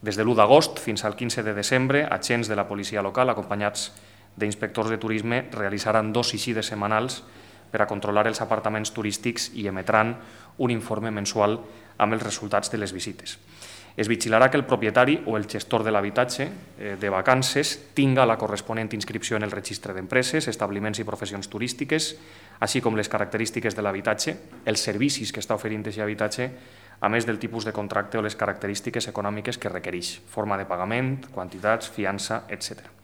Des de l'1 d'agost fins al 15 de desembre, agents de la policia local, acompanyats d'inspectors de turisme, realitzaran 2 visites setmanals per a controlar els apartaments turístics i emetran un informe mensual amb els resultats de les visites. Es vigilarà que el propietari o el gestor de l'habitatge de vacances tinga la corresponent inscripció en el registre d'empreses, establiments i professions turístiques, així com les característiques de l'habitatge, els servicis que està oferint aquest habitatge, a més del tipus de contracte o les característiques econòmiques que requereix, forma de pagament, quantitats, fiança, etc.